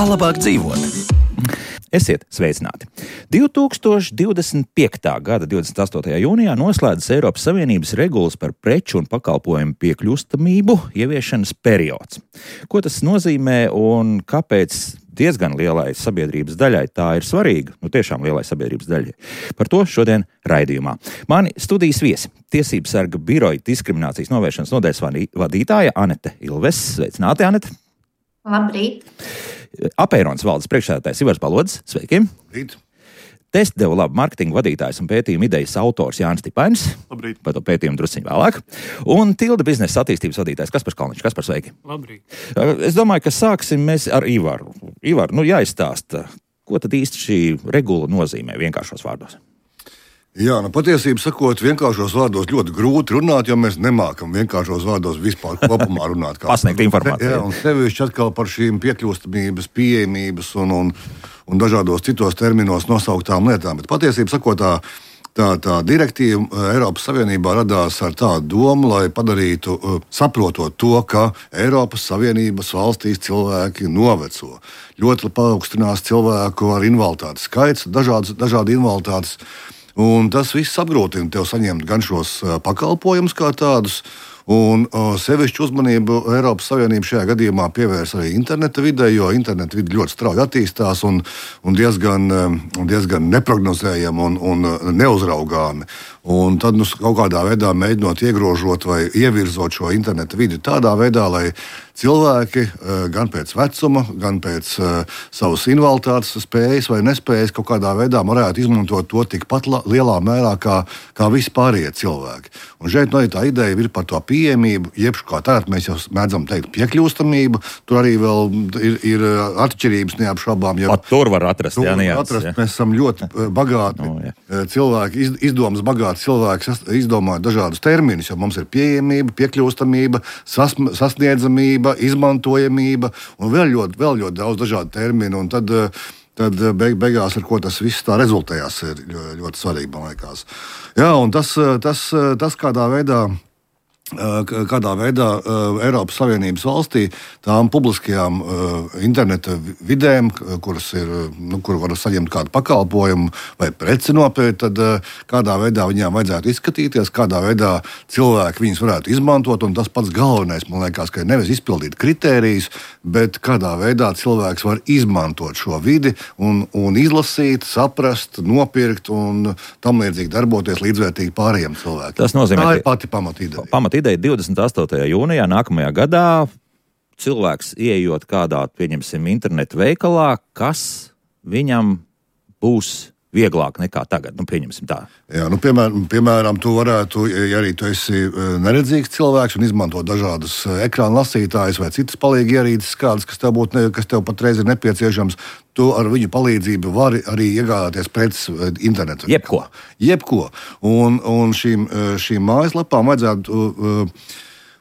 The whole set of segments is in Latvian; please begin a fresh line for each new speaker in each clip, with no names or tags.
Kā labāk dzīvot? Esiet sveicināti! 2025. gada 28. jūnijā noslēdzas Eiropas Savienības regulas par preču un pakalpojumu piekļūstamību ieviešanas periods. Ko tas nozīmē un kāpēc diezgan lielai sabiedrības daļai tā ir svarīga? Tiešām lielai sabiedrības daļai. Par to šodien raidījumā. Mani studijas viesi - Tiesību sarga biroja diskriminācijas novēršanas nodaļas vadītāja Anete Ilves. Sveicināti, Anete!
Labrīt!
Apeironas valdes priekšsēdētājs Ivars Balodis. Sveiki!
Labrīt!
Testdevu labu mārketinga vadītājs un pētījuma idejas autors Jānis Stipainis.
Labrīt!
Par to pētījumu drusciņ vēlāk. Un Tilda biznesa attīstības vadītājs Kaspars Kalniņš. Kaspar, sveiki!
Labrīt!
Es domāju, ka sāksim mēs ar Ivaru. Ivar, jāizstāsta, ko tad īsti šī regula nozīmē vienkāršos vārdos?
Jā, patiesībā sakot, vienkāršos vārdos ļoti grūti runāt, jo mēs nemākam vienkāršos vārdos vispār kopumā runāt.
Pasniegt informāciju.
Jā, un sevišķi atkal par šīm piekļūstamības, pieejamības un dažādos citos terminos nosauktām lietām. Bet patiesībā sakot, tā direktīva Eiropas Savienībā radās ar tādu domu, lai padarītu, saprotot to, ka Eiropas Savienības valstīs cilvēki noveco. Ļoti paaugstinās cilvēku ar invaliditātes skaits, dažādi invaliditātes. Un tas viss apgrūtina tev saņemt gan šos pakalpojumus kā tādus, un sevišķu uzmanību Eiropas Savienība šajā gadījumā pievērs arī interneta vidē, jo interneta vide ļoti strauji attīstās un diezgan neprognozējami un neuzraugāmi. Un tad kaut kādā veidā mēģinot iegrožot vai ievirzot šo interneta vidi tādā veidā, lai cilvēki gan pēc vecuma, gan pēc savas invaliditātes spējas vai nespējas kaut kādā veidā varētu izmantot to tikpat lielā mērā kā visi pārējie cilvēki. Un šeit tā ideja ir par to pieejamību, jeb kā tagad mēs jau mēdzam teikt piekļūstamību. Tur arī vēl ir atšķirības neapšaubām.
Pat tur var atrast,
Mēs esam ļoti bagāti cilvēki, izdomas bagāti cilvēki izdomā dažādus terminus, jo mums ir pieejamība, piekļūstamība, sasniedzamība, izmantojamība un vēl ļoti daudz dažādu terminu. Un tad beigās, ar ko tas viss tā rezultējās, ir ļoti svarīgi, man liekas. Jā, un tas kādā veidā Eiropas Savienības valstī tām publiskajām interneta vidēm, kur var saņemt kādu pakalpojumu vai preci nopirkt, tad kādā veidā viņām vajadzētu izskatīties, kādā veidā cilvēki viņus varētu izmantot, un tas pats galvenais, man liekas, ka ir nevis izpildīt kritērijus, bet kādā veidā cilvēks var izmantot šo vidi un izlasīt, saprast, nopirkt un tam līdzīgi darboties līdzvērtīgi pārējiem cilvēkiem.
Tas nozīmē,
tā ir pati pamatīdeja.
Ideja 28. jūnijā nākamajā gadā cilvēks ieejot kādā, pieņemsim, internetu veikalā, kas viņam būs vieglāk nekā tagad, pieņemsim tā. Jā,
piemēram, tu varētu, ja arī tu esi neredzīgs cilvēks un izmanto dažādus ekrāna lasītājus vai citas palīgi ierīces kādas, kas tev patreiz ir nepieciešams, tu ar viņu palīdzību vari arī iegādāties preces internetu. Jebko. Un šīm mājaslapām vajadzētu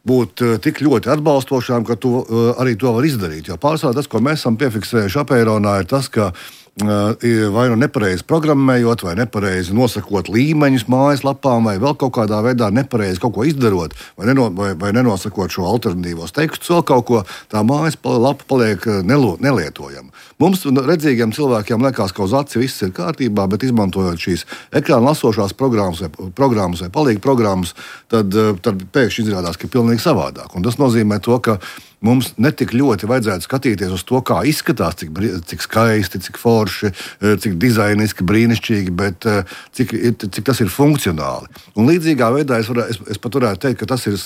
būt tik ļoti atbalstošām, ka tu arī to var izdarīt. Jo pārsvarā tas, ko mēs esam piefiksējuši Apeironā, ir tas, ka vai nepareizi programmējot, vai nepareizi nosakot līmeņus mājaslapām, vai vēl kaut kādā veidā nepareizi kaut ko izdarot, vai nenosakot šo alternatīvos tekstus, vēl kaut ko, tā mājaslapa paliek nelietojama. Mums, redzīgiem cilvēkiem, liekas, ka uz aci viss ir kārtībā, bet izmantojot šīs ekrāna lasošās programmas vai palīgu programmas, tad pēkšņi izrādās, ka ir pilnīgi savādāk. Un tas nozīmē to, ka mums netik ļoti vajadzētu skatīties uz to, kā izskatās, cik skaisti, cik forši, cik dizainiski, brīnišķīgi, bet cik tas ir funkcionāli. Un līdzīgā veidā es pat varētu teikt, ka tas ir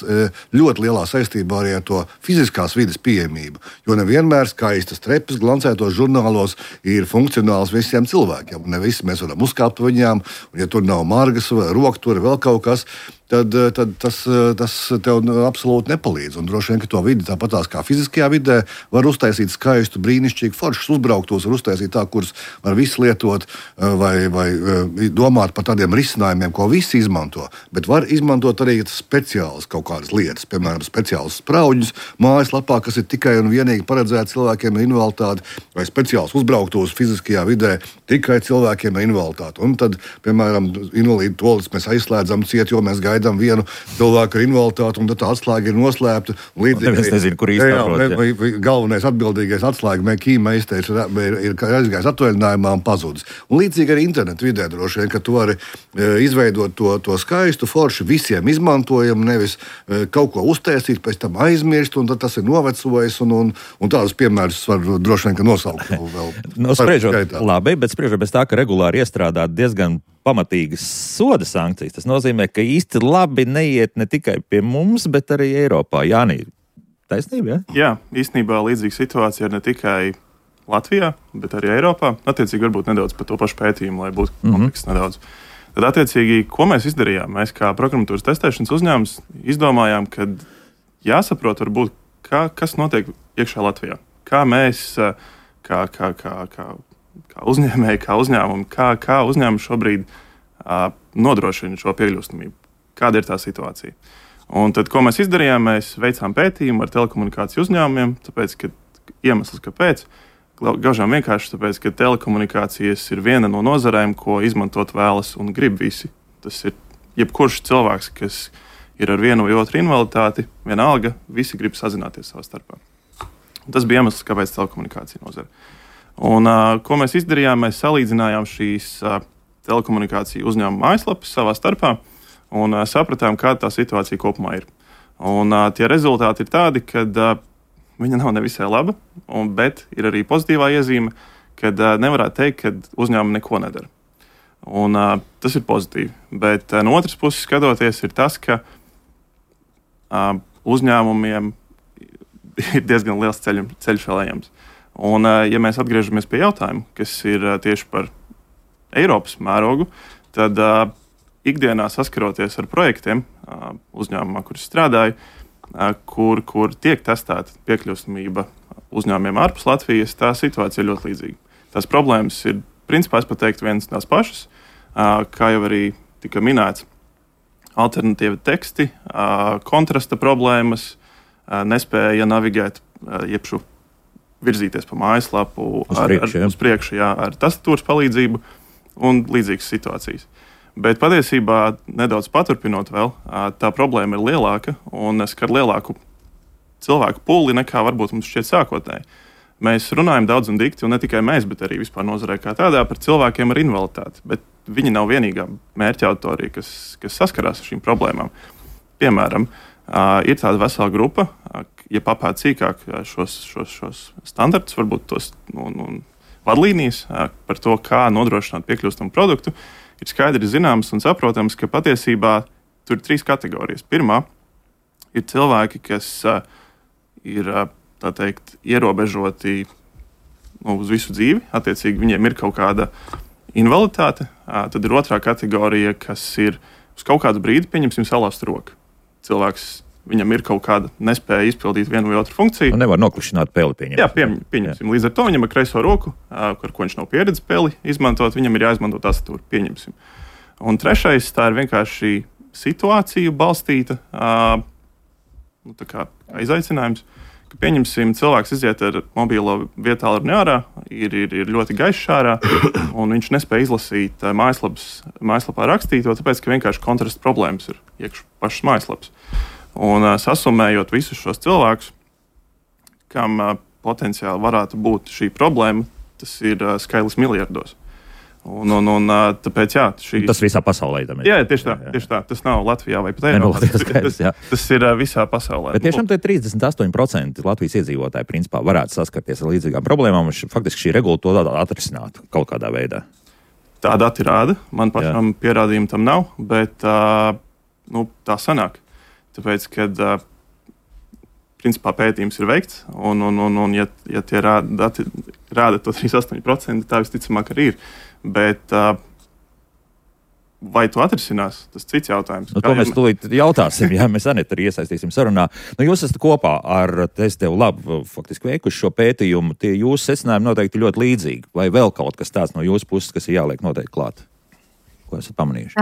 ļoti lielā saistībā arī ar to fiziskās vides pieejamību. Jo nevienmēr skaistas trepas glancētos žurnālos ir funkcionāls visiem cilvēkiem. Ne visi mēs varam uzkāpt viņām, un ja tur nav margas, roktura, vēl kaut kas, tad tas tev absolūti nepalīdz. Un droši vien, ka to vidi tāpatās kā fiziskajā vidē var uztaisīt skaistu, brīnišķīgu, foršus uzbrauktos, var uztaisīt tā, kurus var visi lietot vai domāt par tādiem risinājumiem, ko visi izmanto. Bet var izmantot arī speciālas kaut kādas lietas, piemēram, speciālus sprauģus mājaslapā, kas ir tikai un vienīgi paredzēti cilvēkiem ar invaliditāti, vai speciāls uzbrauktos fiziskajā vidē tikai cilvēkiem ar invaliditāti. Un tad, piemēram, invalīdu toaletes mēs aizslēdzam ciet, jo mēs gaidām gaidām vienu cilvēku ar invaliditāti, un tā atslēga ir noslēpta.
Es nezinu, kur īsti
galvenais atbildīgais atslēga ķīmeisters ir aizgājis atvaļinājumā un pazudis. Un līdzīgi arī internetu vidē droši vien, ka tu vari izveidot to skaistu, forši visiem izmantojumu, nevis kaut ko uztaisīt, pēc tam aizmirst, un tad tas ir novecojis, un tādus piemērus var droši vien nosaukt.
Spriežot bez tā, ka regulāri iestrādāt diezgan pamatīgas soda sankcijas, tas nozīmē, ka īsti labi neiet ne tikai pie mums, bet arī Eiropā. Jānī, taisnība, ja?
Jā, īstenībā līdzīga situācija ir ne tikai Latvijā, bet arī Eiropā. Attiecīgi varbūt nedaudz par to pašu pētījumu, lai būtu komplekss nedaudz. Tad, attiecīgi, ko mēs izdarījām? Mēs kā programmatūras testēšanas uzņēmums izdomājām, ka jāsaprot varbūt, kas notiek iekšā Latvijā. Kā mēs, kā uzņēmēji, kā uzņēmumi, kā uzņēmumi šobrīd nodrošina šo piekļūstamību. Kāda ir tā situācija? Un tad, ko mēs izdarījām, mēs veicām pētījumu ar telekomunikāciju uzņēmumiem, tāpēc, ka iemesls, kāpēc, gaužām vienkārši tāpēc, ka telekomunikācijas ir viena no nozarēm, ko izmantot vēlas un grib visi. Tas ir jebkurš cilvēks, kas ir ar vienu vai otru invaliditāti, vienalga, visi grib sazināties savā starpā. Tas bija iemesls, kāpēc telekomunikācija nozara. Un, ko mēs izdarījām, mēs salīdzinājām šīs telekomunikāciju uzņēmumu mājaslapas savā starpā un sapratām, kāda tā situācija kopumā ir. Un tie rezultāti ir tādi, ka viņa nav nevisai laba, bet ir arī pozitīvā iezīme, kad nevarētu teikt, ka uzņēmumi neko nedara. Un, tas ir pozitīvi. Bet no otras puses skatoties ir tas, ka uzņēmumiem ir diezgan liels ceļš vēl ejams. Un, ja mēs atgriežamies pie jautājuma, kas ir tieši par Eiropas mērogu, tad ikdienā saskaroties ar projektiem uzņēmumā, kur es strādāju, kur tiek testēta piekļūstamība uzņēmumiem ārpus Latvijas, tā situācija ir ļoti līdzīga. Tās problēmas ir, principā, es pateiktu, vienas tās pašas, kā jau arī tika minēts, alternatīvi teksti, kontrasta problēmas, nespēja navigēt, jebšu virzīties pa mājaslapu uz priekšu, ar tastatūras palīdzību un līdzīgas situācijas. Bet patiesībā, nedaudz paturpinot vēl, tā problēma ir lielāka un skar lielāku cilvēku puli nekā varbūt mums šķiet sākotnēji. Mēs runājam daudz un dikti, un ne tikai mēs, bet arī vispār nozarē kā tādā par cilvēkiem ar invaliditāti. Bet viņi nav vienīgā mērķa auditorija, kas saskarās ar šīm problēmām. Piemēram, ir tāda vesela grupa, ja papēt sīkāk šos standartus, varbūt tos vadlīnijas par to, kā nodrošināt piekļūstamu produktu, ir skaidri zināms un saprotams, ka patiesībā tur ir 3 kategorijas. Pirmā ir cilvēki, kas ir, tā teikt, ierobežoti uz visu dzīvi. Attiecīgi, viņiem ir kaut kāda invaliditāte. Tad ir otrā kategorija, kas ir uz kaut kādu brīdi, pieņemsim, salauzt roku. Cilvēks, viņam ir kaut kāda nespēja izpildīt vienu vai otru funkciju.
Un nevar noklušināt peli, pieņemsim.
Jā, pieņemsim. Līdz ar to viņam ir kreiso roku, ar ko viņš nav pieredzis peli izmantot, viņam ir jāizmanto tastatūra, pieņemsim. Un trešais, tā ir vienkārši situāciju balstīta tā kā izaicinājums, ka, pieņemsim, cilvēks iziet ar mobilo vietālruni ārā, ir ļoti gaišs ārā, un viņš nespēja izlasīt mājaslapā rakstīto, tāpēc, ka vienkārši kontrasta problēmas ir iekš pašas mājaslapas. Un sasumējot visus šos cilvēkus, kam potenciāli varētu būt šī problēma, tas ir skaitlis miljardos. Un tāpēc, jā,
tas visā pasaulē.
Jā, tieši tā. Tas nav Latvijā vai pat Eiropā. Tas ir visā pasaulē.
Bet tiešām 38% Latvijas iedzīvotāji principā varētu saskarties ar līdzīgām problēmām. Faktiski šī regula to atrisinātu kaut kādā veidā.
Tā dati rāda. Man pašam pierādījumu tam nav, bet tā sanāk. Tāpēc, kad principā pētījums ir veikts, un ja tie dati rāda to 38%, tā visticamāk arī ir. Bet vai to atrisinās, tas cits jautājums.
To mēs tūlīt jautāsim, ja mēs arī iesaistīsim sarunā. Jūs esat kopā ar Testeu Labu faktiski veikuši šo pētījumu. Tie jūsu secinājumi noteikti ļoti līdzīgi. Vai vēl kaut kas tāds no jūsu puses, kas ir jāliek noteikti klāt? Ko esat pamanījuši?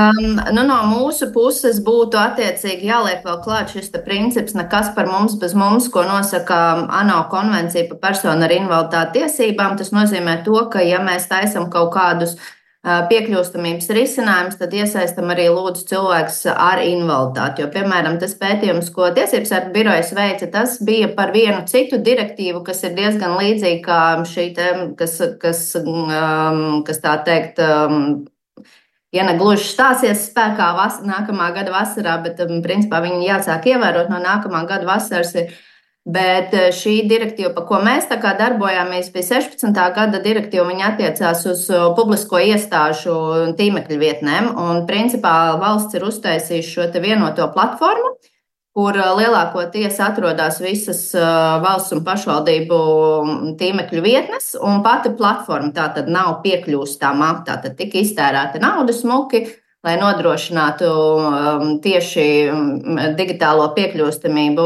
No mūsu puses būtu attiecīgi jāliek vēl klāt šis princips nekas par mums bez mums, ko nosaka ANO konvencija par personu ar invaliditāti tiesībām. Tas nozīmē to, ka ja mēs taisam kaut kādus piekļūstamības risinājums, tad iesaistam arī lūdzu cilvēks ar invaliditāti. Jo, piemēram, tas pētījums, ko Tiesības sarga birojas veica, tas bija par vienu citu direktīvu, kas ir diezgan līdzīga kā šī te, kas tā teikt, ja ne gluži stāsies spēkā nākamā gada vasarā, bet principā viņi jāsāk ievērot no nākamā gada vasaras. Bet šī direktīva, pa ko mēs tā kā darbojāmies, bija 16. gada direktīva, viņa attiecās uz publisko iestāžu tīmekļu vietnēm, un principā valsts ir uztaisījusi šo te vienoto platformu, kur lielākoties atrodas visas valsts un pašvaldību tīmekļu vietnes, un pati platforma tātad nav piekļūstama, tātad tika iztērēta nauda smuki, lai nodrošinātu tieši digitālo piekļūstamību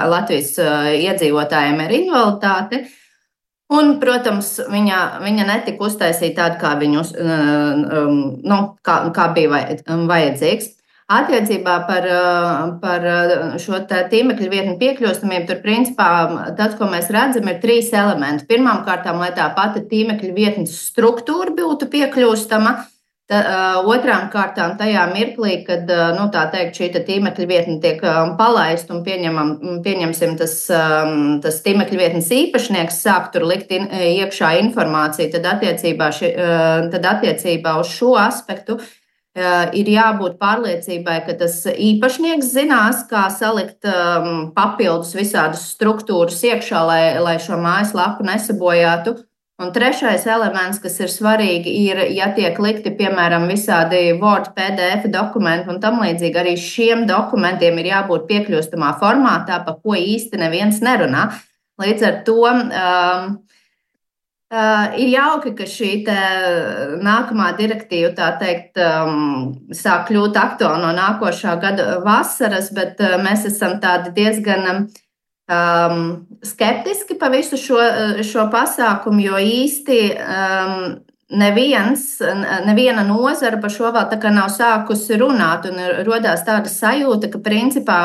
Latvijas iedzīvotājiem ar invaliditāti. Un, protams, viņa netika uztaisīta tāda, kā bija vajadzīgs. Attiecībā par šo tīmekļu vietņu piekļūstamību, tur principā tas, ko mēs redzam, ir 3 elementi. Pirmkārt, lai tā pati tīmekļu vietnes struktūra būtu piekļūstama. Otrām kārtām tajā mirklī, kad tā teikt, šī tīmekļa vietne tiek palaista un pieņemsim tas tīmekļa vietnes īpašnieks sāk tur likt iekšā informāciju, tad attiecībā uz šo aspektu ir jābūt pārliecībai, ka tas īpašnieks zinās, kā salikt papildus visādas struktūras iekšā, lai šo mājaslapu nesabojātu. Un trešais elements, kas ir svarīgi, ir, ja tiek likti, piemēram, visādi Word, PDF dokumenti un tam līdzīgi, arī šiem dokumentiem ir jābūt piekļūstamā formātā, pa ko īsti neviens nerunā. Līdz ar to ir jauki, ka šī nākamā direktīva, tā teikt, sāk kļūt aktuāla no nākošā gada vasaras, bet mēs esam tādi diezgan skeptiski par visu šo pasākumu, jo īsti neviena nozara par šo vēl tā kā nav sākusi runāt, un rodās tāda sajūta, ka principā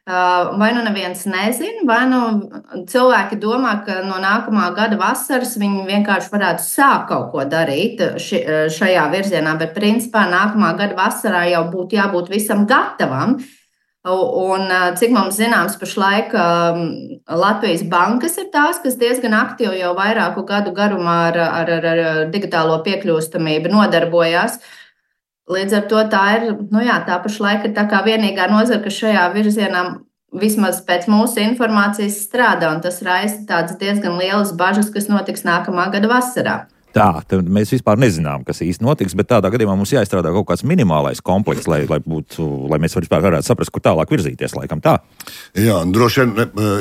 vai nu neviens nezina, vai nu cilvēki domā, ka no nākamā gada vasaras viņi vienkārši varētu sākt kaut ko darīt šajā virzienā, bet principā nākamā gada vasarā jau būtu jābūt visam gatavam. Un, cik mums zināms, pašlaik Latvijas bankas ir tās, kas diezgan aktīvi jau vairāku gadu garumā ar digitālo piekļūstamību nodarbojās. Līdz ar to tā ir, tā pašlaik ir tā kā vienīgā nozara, kas šajā virzienā vismaz pēc mūsu informācijas strādā, un tas raisa tādas diezgan lielas bažas, kas notiks nākamā gada vasarā.
Tā, tad mēs vispār nezinām, kas īsti notiks, bet tādā gadījumā mums jāizstrādā kaut kāds minimālais komplekss, lai mēs vispār varētu saprast, kur tālāk virzīties, laikam tā.
Jā, droši vien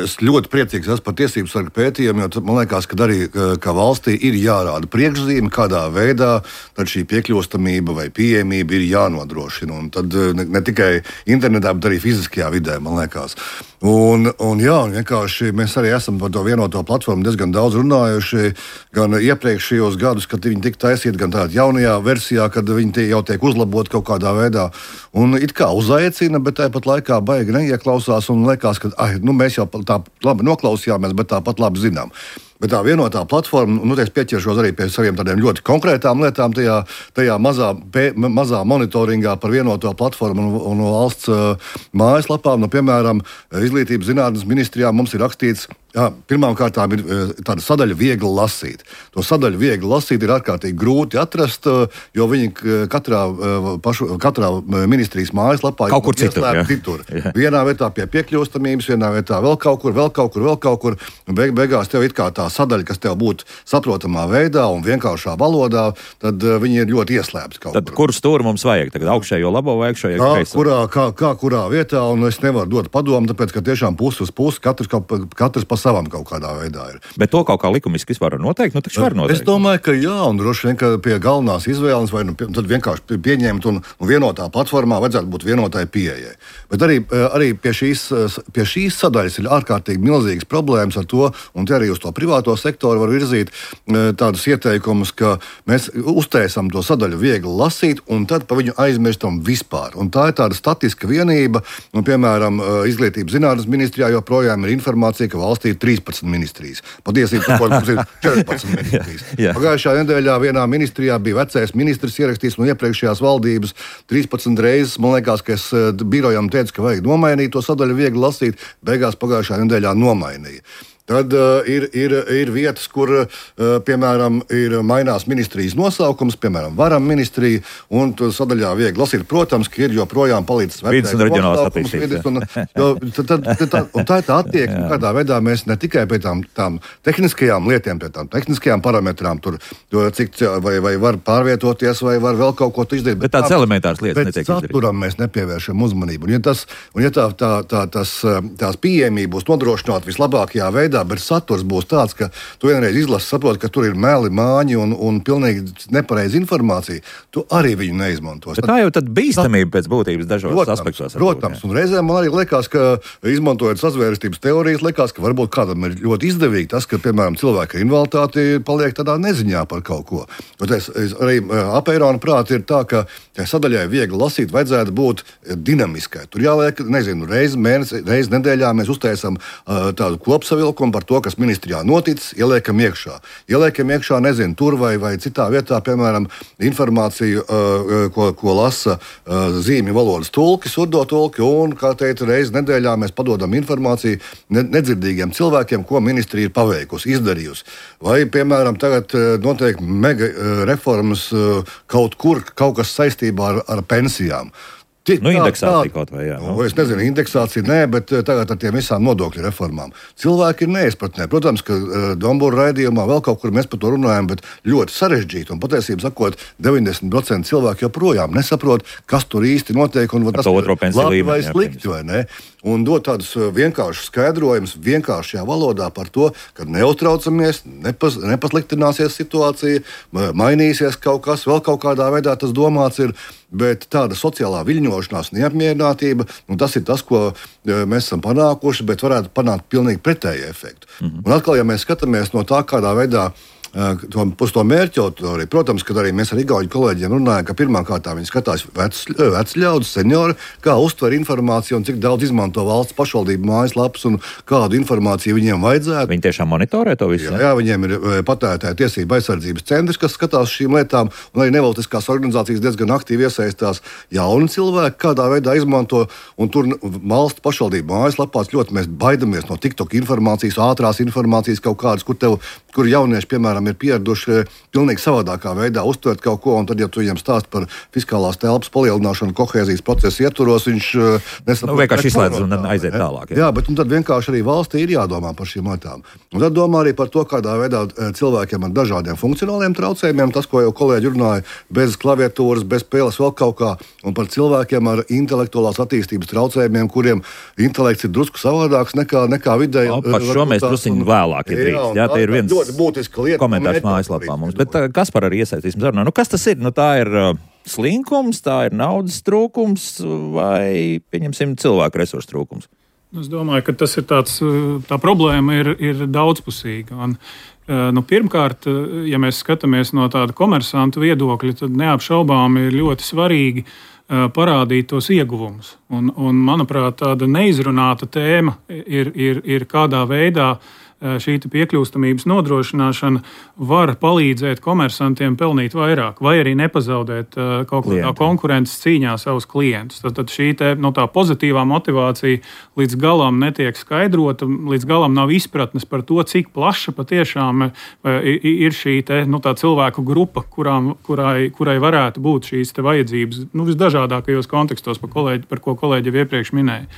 es ļoti priecīgs esmu par Tiesības sarga pētījumu, jo man liekas, ka arī kā valstī ir jārāda priekšzīme, kādā veidā tad šī piekļūstamība vai pieejamība ir jānodrošina. Un tad ne tikai internetā, bet arī fiziskajā vidē, man liekas. Un vienkārši mēs arī esam par to vienoto platformu diezgan daudz runājuši, gan iepriekšējos gadus, kad viņi tika taisīti, gan tādā jaunajā versijā, kad viņi jau tiek uzlaboti kaut kādā veidā. Un it kā uzaicina, bet tāpat laikā baigi neieklausās un liekas, ka mēs jau tā labi noklausījāmies, bet tāpat labi zinām. Bet tā vienotā platforma, es pieķeršos arī pie saviem tādiem ļoti konkrētām lietām tajā mazā monitoringā par vienoto platformu un valsts mājaslapām. Piemēram, Izglītības zinātnes ministrijā mums ir rakstīts, pirmkārt ir tāda sadaļa viegli lasīt. To sadaļu viegli lasīt ir ārkārtīgi grūti atrast, jo viņi katrā ministrijas mājaslapā
kaut kur citur.
Vienā vietā pie piekļūstamības, vienā vietā vēl kaut kur. Beigās tev it kā tā sadaļa, kas tev būtu saprotamā veidā un vienkāršā valodā, tad viņi ir ļoti ieslēpti kaut kur.
Tad kur stūri mums vajag? Tagad augšējo labo vai augšējo kreiso?
Kurā vietā, un es nevaru dot padomu, tāpēc, ka tiešām pusi uz pusi katrs pa savam kaut kādā veidā ir.
Bet to kaut kā likumiski vispār var noteikt? Taču var noteikt.
Es domāju, ka jā, un droši vien, ka pie galvenās izvēles vai tad vienkārši pieņemt un vienotā platformā vajadzētu būt vienotai pieejai. Bet arī pie šīs sadaļas ir ārkārtīgi milzīgas problēmas ar to, un te arī uz to privātu privāto sektoru var virzīt tādus ieteikumus, ka mēs uztaisām to sadaļu viegli lasīt, un tad pa viņu aizmirstam vispār. Un tā ir tāda statiska vienība, un, piemēram, Izglītības zinātnes ministrijā joprojām ir informācija, ka valstī ir 13 ministrijas. Patiesībā mums ir 14 ministrijas. Pagājušā nedēļā vienā ministrijā bija vecais ministrs ierakstījis no iepriekšējās valdības 13 reizes. Man liekas, ka es birojam teicu, ka vajag nomainīt to sadaļu viegli lasīt. Beigās pagājušā nedēļā nomainīja. Tad ir vietas, kur, piemēram, mainās ministrijas nosaukums, piemēram, Varam ministrija, un sadaļā viegli lasīt. Protams, ka ir joprojām palīdzis
vidas un reģionālās attīstības.
Un tā ir tā attieksme, kādā veidā mēs ne tikai pie tām tehniskajām lietām, pie tām tehniskajām parametrām, cik vai var pārvietoties, vai var vēl kaut ko izdarīt.
Bet tādas elementāras lietas netiek izdarīt.
Bet saturam mēs nepievēršam uzmanību. Un ja tās pieejamība būs nodrošināta vislabākajā veidā, bet saturs būs tāds, ka tu vienreiz izlasi, saproti, ka tur ir meli, māņi un pilnīgi nepareiza informācija, tu arī viņu neizmantos.
Bet tā jau tad bīstamība pēc būtības dažos aspektos.
Protams, un reizēm man arī liekas, ka izmantojot sazvērestības teorijas, liekas, ka varbūt kādam ir ļoti izdevīgi tas, ka, piemēram, cilvēka invaliditāte paliek tādā neziņā par kaut ko. Arī apērona prāti ir tā, ka sadaļai viegli lasīt vajadzētu būt dinamiskai. Tur jāliek, nezinu, reizi mēnesi, reizi nedēļā mēs uztaisam tādu kopsavilkumu par to, kas ministrijā noticis, ieliekam iekšā, nezinu, tur vai citā vietā, piemēram, informāciju, ko lasa zīmju valodas tulki, surdo tulki, un, kā teica, reizi nedēļā mēs padodam informāciju nedzirdīgiem cilvēkiem, ko ministrija ir paveikusi, izdarījusi. Vai, piemēram, tagad notiek mega reformas kaut kas saistībā ar pensijām.
Indeksācija kaut vai, jā.
Es nezinu, indeksācija nē, bet tagad ar tiem visām nodokļu reformām. Cilvēki ir neizpratnē. Protams, ka Dombūra raidījumā vēl kaut kur mēs par to runājam, bet ļoti sarežģīti. Un patiesībā sakot, 90% cilvēku joprojām nesaprot, kas tur īsti notiek un tas ir labi vai slikti, vai ne? Un dot tādus vienkāršus skaidrojumus vienkāršajā valodā par to, ka neuztraucamies, nepasliktināsies situācija, mainīsies kaut kas, vēl kaut kādā veidā tas domāts ir. Bet tāda sociālā viļņošanās, neapmierinātība, tas ir tas, ko mēs esam panākuši, bet varētu panākt pilnīgi pretēju efektu. Un atkal, ja mēs skatāmies no tā, kādā veidā uz to mērķu auditoriju, protams, kad arī mēs ar igauņu kolēģiem runājam, ka pirmkārt viņi skatās veci ļaudis, seniori, kā uztver informāciju un cik daudz izmanto valsts pašvaldību mājaslapas un kādu informāciju viņiem vajadzētu.
Viņi tiešām monitorē to visu?
Jā, viņiem ir patērētāju tiesību aizsardzības centrs, kas skatās šīm lietām, un arī nevalstiskās organizācijas diezgan aktīvi iesaistās. Jauni cilvēki kādā veidā izmanto, un tur valsts pašvaldību mājaslapās ļoti mēs baidamies no TikTok informācijas, ātrās informācijas kaut kādas, kur jaunieši, piemēram, ir pieraduši pilnīgi savādākā veidā uztvert kaut ko, un tad, ja tu viņam stāst par fiskālās telpas palielināšanu kohēzijas procesu ietvaros, viņš nesaprot.
Vienkārši izslēdz un aiziet tālāk.
Jā, bet tad vienkārši arī valstī ir jādomā par šīm lietām. Un tad domā arī par to, kādā veidā cilvēkiem ar dažādiem funkcionāliem traucējumiem, tas, ko jau kolēģi runāja, bez klaviatūras, bez spēles vēl kaut kā, un par cilvēkiem ar intelektuālās attīstības traucējumiem, kuriem intelekts ir drusku savādāks nekā vidēji.
Par šo mēs drusku vēlāk ir drīkst. Jā, tie ir viens
ļoti būtiska lieta.
Komentārs mājaslapā mums. Bet Kaspar arī iesaistīsim sarunā. Kas tas ir? Tā ir slinkums, tā ir naudas trūkums vai, pieņemsim, cilvēku resursu trūkums?
Es domāju, ka tas ir tā problēma ir daudzpusīga. Un, pirmkārt, ja mēs skatāmies no tāda komersantu viedokļa, tad neapšaubām ir ļoti svarīgi parādīt tos ieguvumus. Un manuprāt, tāda neizrunāta tēma ir kādā veidā šī piekļūstamības nodrošināšana var palīdzēt komersantiem pelnīt vairāk, vai arī nepazaudēt kaut kādā konkurences cīņā savus klientus. Tad šī tā pozitīvā motivācija līdz galam netiek skaidrota, līdz galam nav izpratnes par to, cik plaša patiešām ir šī tā cilvēku grupa, kurai varētu būt šīs vajadzības visdažādākajos kontekstos, par ko kolēģi jau iepriekš minēja.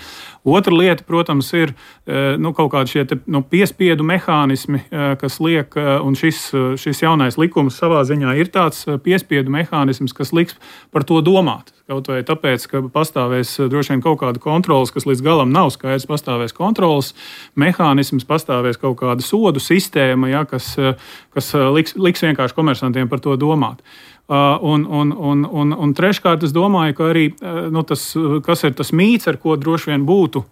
Otra lieta, protams, ir kaut kādi šie piespiedu mehānismi, kas liek, un šis jaunais likums savā ziņā ir tāds piespiedu mehānisms, kas liks par to domāt. Kaut vai tāpēc, ka pastāvēs droši vien kaut kāda kontrolas, kas līdz galam nav skaidrs, pastāvēs kontrolas mehānisms, pastāvēs kaut kāda sodu sistēma, kas liks vienkārši komersantiem par to domāt. Un treškārt, es domāju, ka arī kas ir tas mīts, ar ko droši vien būtu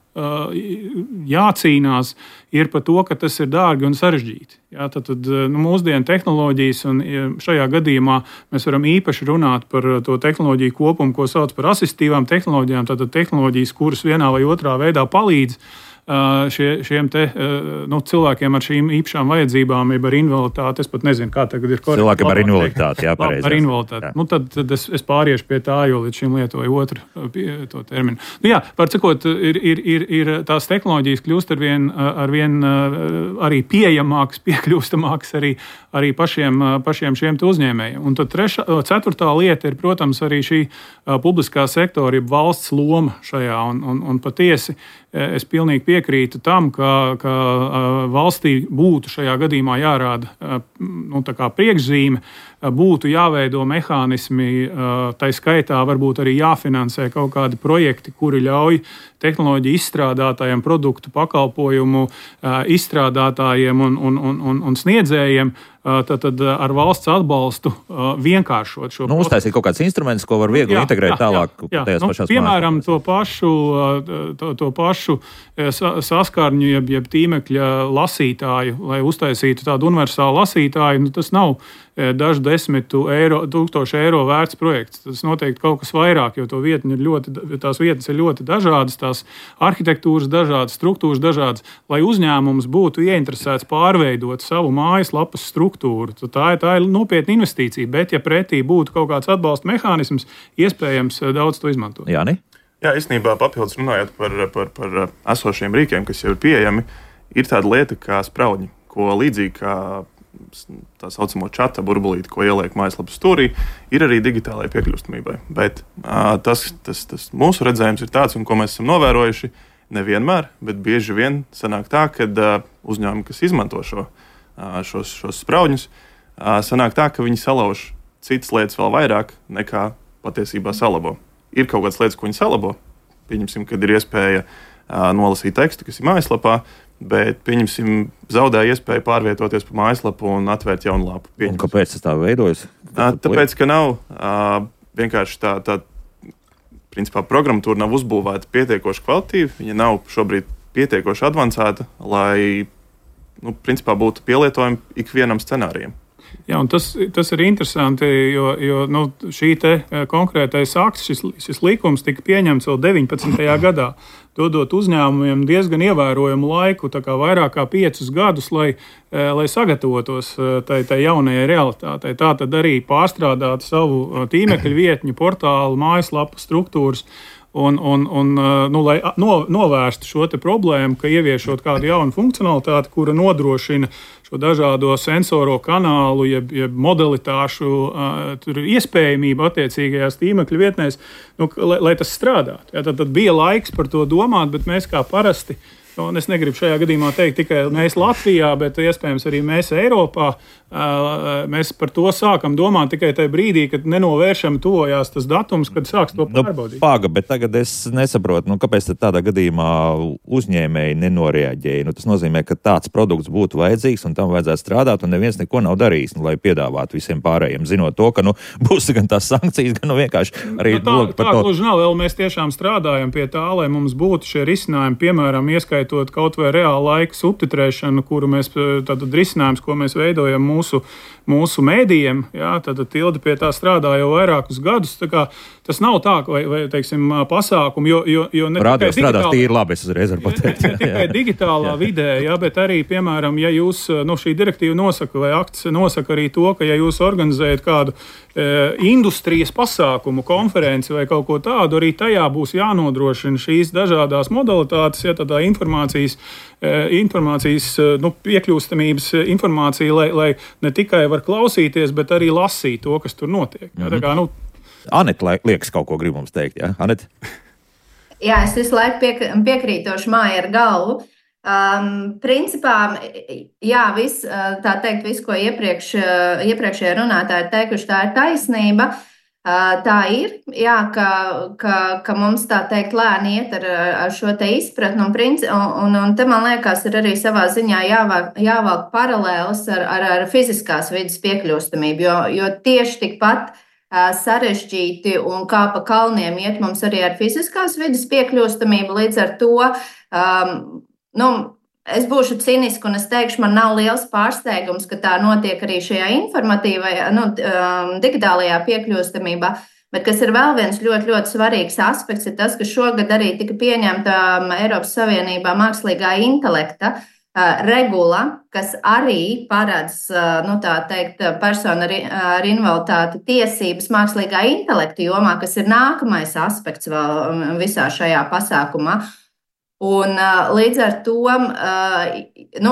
jācīnās, ir par to, ka tas ir dārgi un sarežģīti. Jā, tad mūsdienu tehnoloģijas, un šajā gadījumā mēs varam īpaši runāt par to tehnoloģiju kopumu, ko sauc par asistīvām tehnoloģijām, tātad tehnoloģijas, kuras vienā vai otrā veidā palīdz šiem cilvēkiem ar šīm īpašām vajadzībām, jeb ar invaliditāti. Es pat nezinu, kā tagad ir korekti.
Cilvēkiem ar invaliditāti, jā, pareizi.
Ar invaliditāti. Tad es pāriešu pie tā, jo līdz šim lietoju otru to terminu. Var sakot, ir tās tehnoloģijas kļūst arvien arī pieejamākas, piekļūstamākas arī pašiem šiem uzņēmējiem. Un tad ceturtā lieta ir, protams, arī šī publiskā sektora, jeb valsts loma šajā. Un patiesi es pilnīgi piekrītu tam, ka valstī būtu šajā gadījumā jārāda priekšzīme, būtu jāveido mehānismi, tai skaitā varbūt arī jāfinansē kaut kādi projekti, kuri ļauj tehnoloģiju izstrādātājiem, produktu pakalpojumu izstrādātājiem un sniedzējiem tad ar valsts atbalstu vienkāršot šo procesu.
Uztaisīt kaut kāds instruments, ko var viegli integrēt tālāk.
Piemēram, to pašu saskarņu, jeb tīmekļa lasītāju, lai uztaisītu tādu universālu lasītāju, tas nav dažu 10,000 eiro vērts projekts. Tas noteikti kaut kas vairāk, jo tās vietas ir ļoti dažādas, tās arhitektūras dažādas, struktūras dažādas, lai uzņēmums būtu ieinteresēts pārveidot savu mājaslapas struktūru. Tā ir nopietna investīcija, bet ja pretī būtu kaut kāds atbalsta mehānisms, iespējams daudz to izmantot.
Jāni?
Jā, īstenībā papildus runājot par esošiem rīkiem, kas jau ir pieejami, ir tāda lieta kā spraudņi, ko līdzīgi kā tā saucamo čata burbulīti, ko ieliek mājaslapas stūrī, ir arī digitālajai piekļūstamībai. Bet tas mūsu redzējums ir tāds, un ko mēs esam novērojuši, nevienmēr, bet bieži vien sanāk tā, ka uzņēmumi, kas izmanto šos spraudņus, sanāk tā, ka viņi salauž citas lietas vēl vairāk nekā patiesībā salabo. Ir kaut kādas lietas, ko viņi salabo. Pieņemsim, kad ir iespēja nolasīt tekstu, kas ir mājaslapā, bet, pieņemsim, zaudēja iespēju pārvietoties pa mājaslapu un atvērt jaunu lapu.
Un kāpēc tas tā veidojas?
Tāpēc, ka nav vienkārši tā principā programmatūra nav uzbūvēta pietiekoši kvalitīvi, viņa nav šobrīd pietiekoši advancēta, lai, principā būtu pielietojama ikvienam scenārijam.
Jā, un tas ir interesanti, jo šī konkrētais akts, šis likums tika pieņemts vēl 19. gadā, dodot uzņēmumiem diezgan ievērojumu laiku, tā kā vairāk kā 5 gadus, lai sagatavotos tai jaunajai realitātei. Tā tad arī pārstrādāt savu tīmekļa vietņu, portālu, mājaslapu struktūras, lai novērstu šo problēmu, ka ieviešot kādu jaunu funkcionalitāti, kura nodrošina šo dažādo sensoro kanālu, jeb modalitāšu iespējamību attiecīgajās tīmekļa vietnēs, lai tas strādātu. Ja, tad bija laiks par to domāt, bet mēs kā parasti, un es negribu šajā gadījumā teikt tikai mēs Latvijā, bet iespējams arī mēs Eiropā, mēs par to sākam domāt tikai tajā brīdī, kad nenovēršami tuvojās tas datums, kad sāks to pārbaudīt.
Bet tagad es nesaprotu, kāpēc tādā gadījumā uzņēmēji nenoreaģēja. Tas nozīmē, ka tāds produkts būtu vajadzīgs un tam vajadzētu strādāt, un neviens neko nav darījis, lai piedāvātu visiem pārējiem, zinot to, ka būs gan tās sankcijas, gan vienkārši arī
par to. Tā gluži nav, vēl mēs tiešām strādājam pie tā, lai mums būtu šie risinājumi, piemēram, ieskaitot kaut vai reāla laika subtitrēšanu, kuru mēs, tātad risinājums, ko mēs veidojam mūsu mēdījiem, jā, tad Tilde pie tā strādā jau vairākus gadus. Tas nav tā, vai teiksim, pasākumu, jo ne
tikai strādās tīri labi, es uzreiz varu pateikt.
Ne tikai digitālā vidē, jā, bet arī, piemēram, ja jūs, šī direktīva nosaka, vai akts nosaka arī to, ka ja jūs organizējat kādu industrijas pasākumu, konferenci vai kaut ko tādu, arī tajā būs jānodrošina šīs dažādās modalitātes, ja tādā informācijas piekļūstamības informācija, lai ne tikai var klausīties, bet arī lasīt to, kas tur notiek. Ja, tā kā,
Anete, liekas, kaut ko grib mums teikt, jā? Anete?
Jā, es visu laiku piekrītoši māju ar galvu. Principā, jā, viss, ko iepriekšējie runātāji ir teikuši, tā ir taisnība. Tā ir, jā, ka mums tā teikt lēni iet ar šo te izpratni, un te man liekas ir arī savā ziņā jāvelk paralēlis ar fiziskās vidas piekļūstamību, jo tieši tikpat sarežģīti un kā pa kalniem iet mums arī ar fiziskās vidas piekļūstamību. Līdz ar to es būšu ciniska un es teikšu, man nav liels pārsteigums, ka tā notiek arī šajā informatīvajā, digitālajā piekļūstamībā. Bet kas ir vēl viens ļoti, ļoti svarīgs aspekts, ir tas, ka šogad arī tika pieņemta Eiropas Savienībā mākslīgā intelekta regula, kas arī paredz, personu ar invaliditāti tiesības mākslīgā intelekta jomā, kas ir nākamais aspekts vēl visā šajā pasākumā. Un līdz ar to,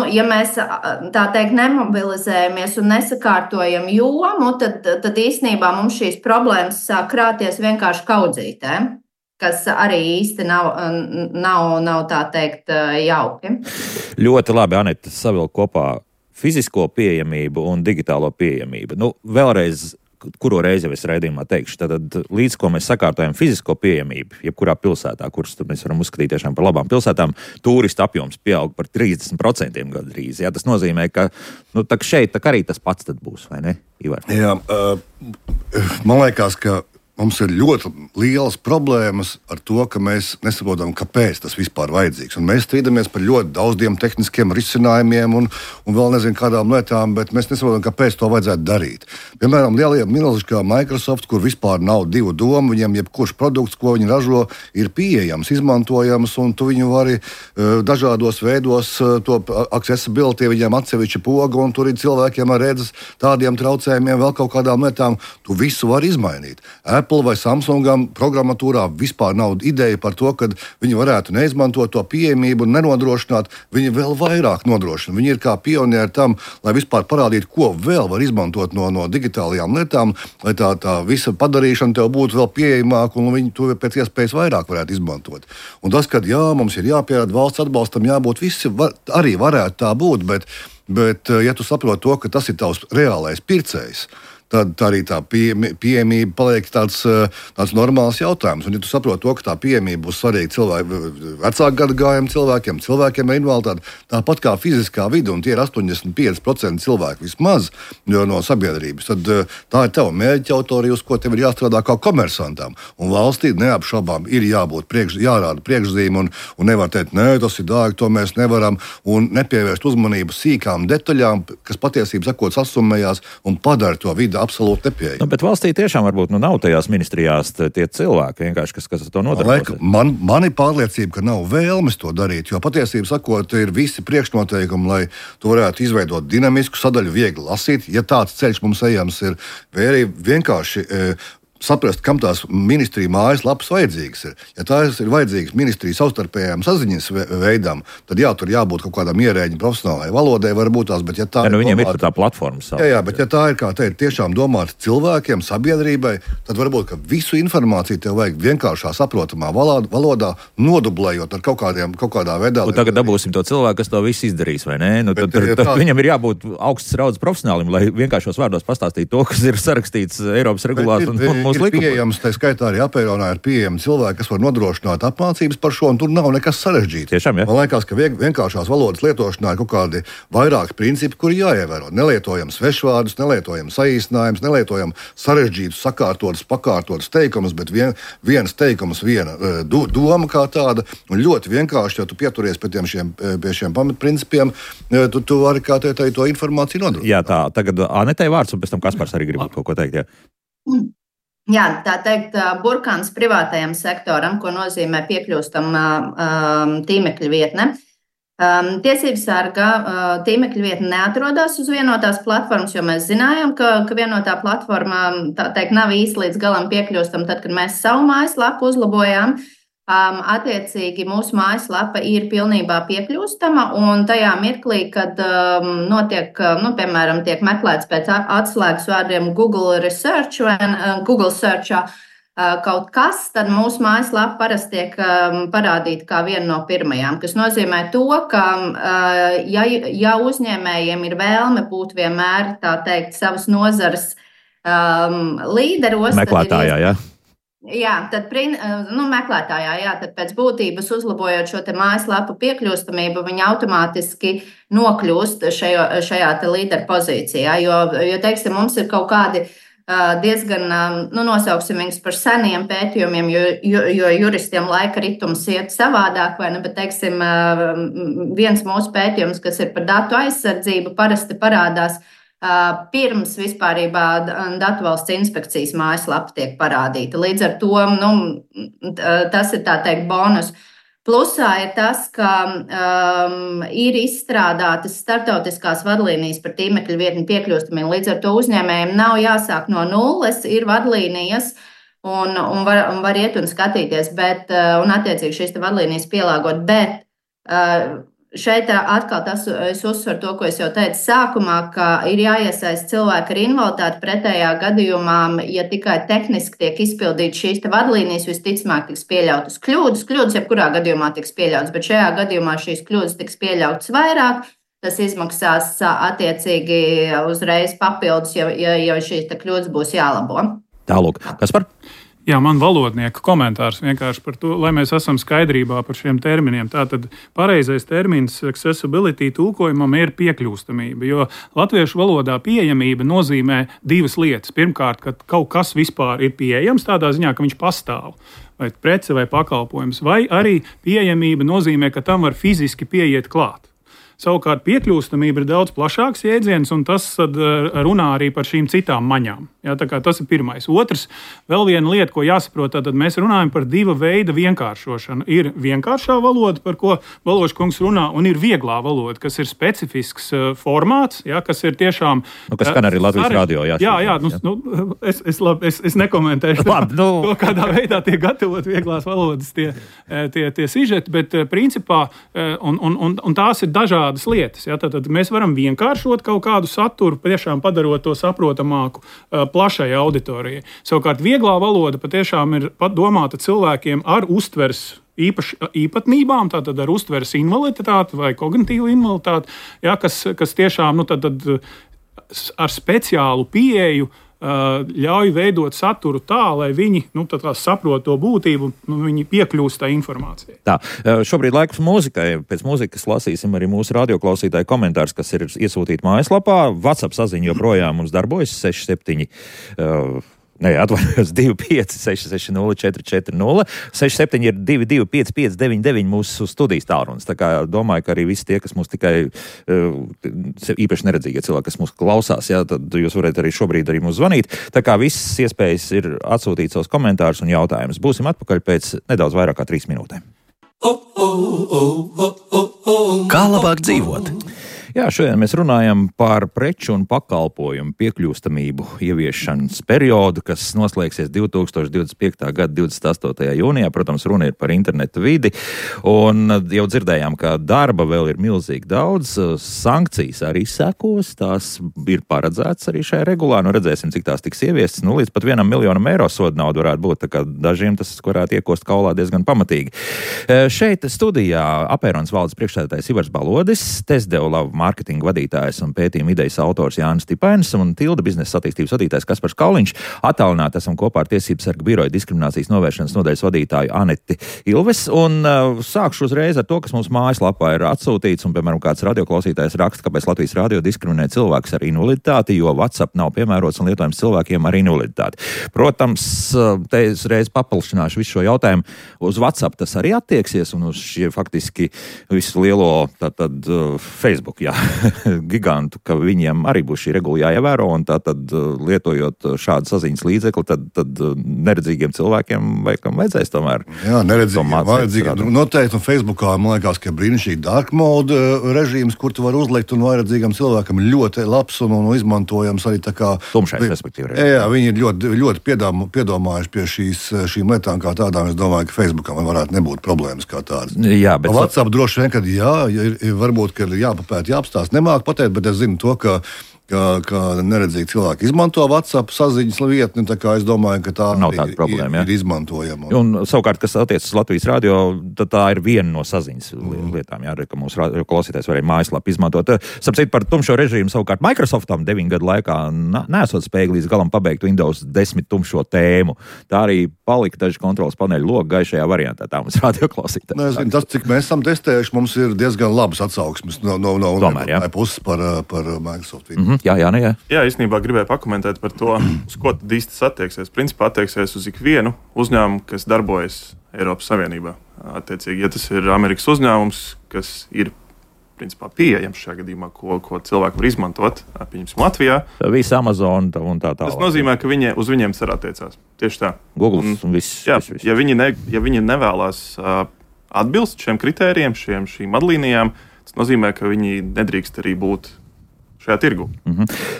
ja mēs tā teikt nemobilizējamies un nesakārtojam jomu, tad īstenībā mums šīs problēmas sāk krāties vienkārši kaudzītē, kas arī īsti nav tā teikt jauki.
Ļoti labi, Anita, savilk kopā fizisko pieejamību un digitālo pieejamību. Vēlreiz, kuro reizi jau es raidījumā teikšu, tad līdz ko mēs sakārtojam fizisko pieejamību, jebkurā pilsētā, kuras mēs varam uzskatīt tiešām par labām pilsētām, turistu apjoms pieaug par 30% gandrīz. Jā, tas nozīmē, ka šeit arī tas pats tad būs, vai ne, Ivar?
Jā, man liekas, ka mums ir ļoti lielas problēmas ar to, ka mēs nesaprotam, kāpēc tas vispār vajadzīgs. Un mēs strīdamies par ļoti daudziem tehniskiem risinājumiem un vēl nezinu kādām lietām, bet mēs nesaprotam, kāpēc to vajadzētu darīt. Piemēram, lielie milži kā Microsoft, kur vispār nav divu domu, viņiem jebkurš produkts, ko viņi ražo, ir pieejams, izmantojams, un tu viņu vari dažādos veidos, to accessibility, viņiem atsevišķa poga, un tur ir cilvēkiem ar redzes tādiem traucējumiem, vēl kaut kādām lietām, tu visu vari izmainīt. Apple vai Samsungam programmatūrā vispār nav ideja par to, ka viņi varētu neizmantot to pieejamību un nenodrošināt, viņi vēl vairāk nodrošina. Viņi ir kā pionieri tam, lai vispār parādītu, ko vēl var izmantot no digitālajām lietām, lai tā visa padarīšana tev būtu vēl pieejamāka un viņi to pēc iespējas vairāk varētu izmantot. Un tas, ka mums ir jāpierāda valsts atbalstam, jābūt visi, arī varētu tā būt, bet ja tu saproti to, ka tas ir tavs reālais pircējs, tad arī tā pieejamība paliek tāds normāls jautājums. Un, ja tu saproti to, ka tā pieejamība būs svarīga vecāku gadagājumu cilvēkiem ar invaliditāti, tāpat kā fiziskā vide, un tie ir 85% cilvēku vismaz no sabiedrības, tad tā ir tava mērķa autorija, uz ko tev ir jāstrādā kā komersantam. Un valstī neapšaubām ir jābūt jārāda priekšzīme, un nevar teikt, nē, tas ir dārgi, to mēs nevaram, un nepievērst uzmanību sīkām detaļām, kas patiesībā sakot sasummējās un padara to vidi absolūti nepieejami.
Bet valstī tiešām varbūt nav tajās ministrijās tie cilvēki, vienkārši, kas to nodarbojas.
Man ir pārliecība, ka nav vēlmes to darīt, jo patiesībā sakot, ir visi priekšnoteikumi, lai tu varētu izveidot dinamisku sadaļu, viegli lasīt, ja tāds ceļš mums ejams ir, vai arī vienkārši saprast, kam tās ministrija mājaslapas vajadzīgas ir. Ja tās ir vajadzīgas ministrija savstarpējām saziņas veidām, tad tur jābūt kaut kādam ierēģim profesionālai valodai, varbūt tās, bet ja tā
viņiem ir tā platforma.
Jā, bet ja tā ir, kā teikt, tiešām domāta cilvēkiem, sabiedrībai, tad varbūt, ka visu informāciju tev vajag vienkāršā saprotamā valodā, nodublējot ar kaut kādā veidā.
Un tagad dabūsim to cilvēku, kas to visu izdarīs, vai ne? Tad viņam ir jābūt augsts raudzes profesionālim, lai vienkāršos vārdos pastāstītu to, kas ir sarakstīts Eiropas regulās un mūsu
ir pieejams, tā skaitā arī apeironā ir pieejami cilvēki, kas var nodrošināt apmācības par šo, un tur nav nekas sarežģīts.
Tiešām, ja?
Man liekas, ka vienkāršās valodas lietošanā ir kaut kādi vairāki principi, kuri jāievēro. Nelietojam svešvārdus, nelietojam saīsinājumus, nelietojam sarežģītus, sakārtotus, pakārtotus teikumus, bet viens teikums, viena doma kā tāda, un ļoti vienkārši, ja tu pieturies pie šiem pamatprincipiem, tu vari kā to informāciju nodrošināt.
Jā, tā, tagad Anetei vārds, un pēc tam Kaspars arī grib kaut ko teikt, jā.
Jā, tā teikt, burkāns privātajam sektoram, ko nozīmē piekļūstam tīmekļa vietne. Tiesības sarga tīmekļa vietne neatrodas uz vienotās platformas, jo mēs zinājām, ka vienotā platforma, tā teikt, nav īsti līdz galam piekļūstam, tad, kad mēs savu mājaslapu uzlabojām. Attiecīgi mūsu mājaslapa ir pilnībā piekļūstama, un tajā mirklī, kad notiek, piemēram, tiek meklēts pēc atslēgas vārdiem Google Research vai Google Searchā kaut kas, tad mūsu mājaslapa parasti tiek parādīta kā viena no pirmajām, kas nozīmē to, ka ja uzņēmējiem ir vēlme būt vienmēr, tā teikt, savas nozares līderos,
meklētājā, jā.
Jā, tad meklētājā, tad pēc būtības uzlabojot šo te mājaslapu piekļūstamību, viņi automātiski nokļūst šajā te līderu pozīcijā, jo, teiksim, mums ir kaut kādi diezgan, nosauksim viņus par seniem pētījumiem, jo juristiem laika ritums iet savādāk, vai ne, bet, teiksim, viens mūsu pētījums, kas ir par datu aizsardzību, parasti parādās pirms vispārībā Datu valsts inspekcijas mājaslapa tiek parādīta. Līdz ar to, tas ir tā teikt bonus. Plusā ir tas, ka ir izstrādātas starptautiskās vadlīnijas par tīmekļa vietņu piekļūstamību. Līdz ar to uzņēmējiem nav jāsāk no nulles, ir vadlīnijas un var iet un skatīties, un attiecīgi šīs vadlīnijas pielāgot. Bet šeit atkal es uzsveru to, ko es jau teicu sākumā, ka ir jāiesaist cilvēki ar invaliditāti. Pretējā gadījumā, ja tikai tehniski tiek izpildītas šīs vadlīnijas, visticamāk tiks pieļautas kļūdas. Kļūdas jebkurā gadījumā tiks pieļautas, bet šajā gadījumā šīs kļūdas tiks pieļautas vairāk. Tas izmaksās attiecīgi uzreiz papildus, ja šīs kļūdas būs jālabo.
Tālūk, Kaspar?
Jā, man valodnieka komentārs vienkārši par to, lai mēs esam skaidrībā par šiem terminiem. Tātad pareizais termins accessibility tulkojumam ir piekļūstamība, jo latviešu valodā pieejamība nozīmē divas lietas. Pirmkārt, ka kaut kas vispār ir pieejams tādā ziņā, ka viņš pastāv, vai prece vai pakalpojums, vai arī pieejamība nozīmē, ka tam var fiziski pieiet klāt. Savukārt piekļūstamība ir daudz plašāks jēdziens, un tas runā arī par šīm citām maņām. Jā, tā kā tas ir pirmais. Otrs, vēl viena lieta, ko jāsaprot, tad mēs runājam par divu veidu vienkāršošanu. Ir vienkāršā valoda, par ko Baložs kungs runā, un ir vieglā valoda, kas ir specifisks formāts, jā, kas ir tiešām...
kas skan arī Latvijas radio, jā.
Jā, es nekomentēšu to, kādā veidā tiek gatavot vieglās valodas tie sižeti, bet principā, un tās ir dažādas lietas. Ja? Tad mēs varam vienkāršot kaut kādu saturu, patiešām padarot to saprotamāku plašai auditorijai. Savukārt vieglā valoda patiešām ir domāta cilvēkiem ar uztveres īpatnībām, tātad ar uztveres invaliditāti vai kognitīvu invaliditāti, ja? kas tiešām ar speciālu pieeju ļauj veidot saturu tā, lai viņi saprot to būtību, viņi piekļūst tā informācijai.
Tā, šobrīd laiks mūzikai. Pēc mūzikas lasīsim arī mūsu radioklausītāju komentārus, kas ir iesūtīti mājaslapā. WhatsApp saziņa joprojām mums darbojas 67. 25 660 440 67 ir 22 5599 mūsu studijas tālrunis. Tā kā domāju, ka arī visi tie, kas mūs tikai īpaši neredzīgie cilvēki, kas mūs klausās, jā, tad jūs varat arī šobrīd arī mūs zvanīt. Tā kā visas iespējas ir atsūtīt savus komentārus un jautājumus. Būsim atpakaļ pēc nedaudz vairāk kā 3 minūtēm.
Kā labāk dzīvot?
Jā, šodien mēs runājam par preču un pakalpojumu piekļūstamību ieviešanas periodu, kas noslēgsies 2025. gada 28. jūnijā. Protams, runa ir par internetu vidi, un jau dzirdējām, ka darba vēl ir milzīgi daudz. Sankcijas arī sekos, tās ir paredzētas arī šajā regulā. Redzēsim, cik tās tiks ieviestas. Līdz pat 1 miljonam eiro soda nauda varētu būt, tā kā dažiem tas varētu iekost kaulā diezgan pamatīgi. Šeit studijā Apērons valdes priekšsēdētājs Ivars Balodis, Testdeva mārketinga vadītājs un pētījuma idejas autors Jānis Stipainis un Tilda biznesa attīstības vadītājs Kaspars Kauliņš. Attālināti esam kopā ar Tiesības sarga biroja diskriminācijas novēršanas nodaļas vadītāju Aneti Ilves. Un sākšu uzreiz ar to, kas mums mājaslapā ir atsūtīts. Un, piemēram, kāds radioklausītājs raksta, kāpēc Latvijas radio diskriminē cilvēkus ar invaliditāti, jo WhatsApp nav piemērots un lietojams cilvēkiem ar invaliditāti. Protams, te es reiz papilšināšu visu šo jautājumu. Uz WhatsApp tas arī attieksies un uz šie faktiski visu lielo Facebook, jā, gigantu, ka viņiem arī būs šī regula jāievēro, un tātad lietojot šādu saziņas līdzekli, tad neredzīgiem cilvēkiem vajadzēs tomēr.
Jā, neredzīgiem. Noteikti, un Facebookā, man liekas, ka brīnišķīgi dark mode režīms, kur tu var uzlikt, un vajadzīgam cilvēkam ļoti labs un izmantojams arī tā kā...
Tumšais, respektīvi.
Jā, viņi ir ļoti piedomājuši pie šīm lietām kā tādām. Es domāju, ka Facebookam varētu nebūt problēmas kā tādas.
Jā, bet...
WhatsApp droši vien, kad varbūt, ka ir jāpapēt, jāapstāst, nemāk pateikt, bet es zinu to, ka neredzīgi cilvēki izmanto WhatsApp saziņas vietni, tā kā es domāju, ka tā
nav tāda problēma,
ir izmantojama.
Un savukārt, kas attiecas uz Latvijas radio, tad tā ir viena no saziņas lietām, jā, ka mūsu klausītājs varēja mājaslapu izmantot. Sapcīt par tumšo režīmu, savukārt Microsoftam 9 gadu laikā nesot spēju līdz galam pabeigt Windows 10 tumšo tēmu. Tā arī palika daži kontrolas paneļu logi gaišajā variantā, tā mums radio klausītājs.
Es zinu, tas, cik mēs esam testējuši, mums ir diezgan labas atsauksmes no puses par Microsoft.
Jā.
Jā, īstenībā gribēju pakomentēt par to, uz ko tad īsti attieksies. Principā attieksies uz ikvienu uzņēmumu, kas darbojas Eiropas Savienībā. Attiecīgi, ja tas ir Amerikas uzņēmums, kas ir principā pieejams šajā gadījumā, ko cilvēki var izmantot, pieņemsim, Latvijā.
Visa Amazon un tā tālāk.
Tas nozīmē, ka uz viņiem tas arī attiecās. Tieši tā.
Google un viss.
Jā, ja viņi nevēlas atbilst šiem kritērijiem, šīm vadlīnijām, tas nozīmē, ka viņi nedrīkst arī būt šajā tirgu.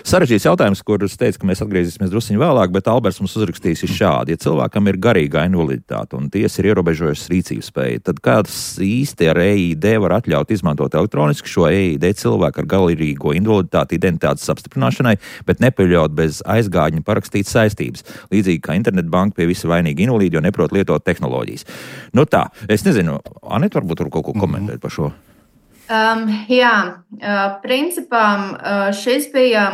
Sarežģīts jautājums, kurus teicu, ka mēs atgriezīsimies drusciņ vēlāk, bet Alberts mums uzrakstīs šādi. Ja cilvēkam ir garīgā invaliditāte un tiesa ir ierobežojusi rīcības spēju, tad kāds īsti ar EID var atļaut izmantot elektroniski šo EID cilvēku ar garīgo invaliditāti identitātes apstiprināšanai, bet nepieļaut bez aizgādņa parakstīt saistības. Līdzīgi kā internetbanka pie visa vainīga invalīdi, jo neprot lietot tehnoloģijas. Nu tā, es nezinu, Anita varbūt tur kaut ko komentēt par šo.
Principā šis bija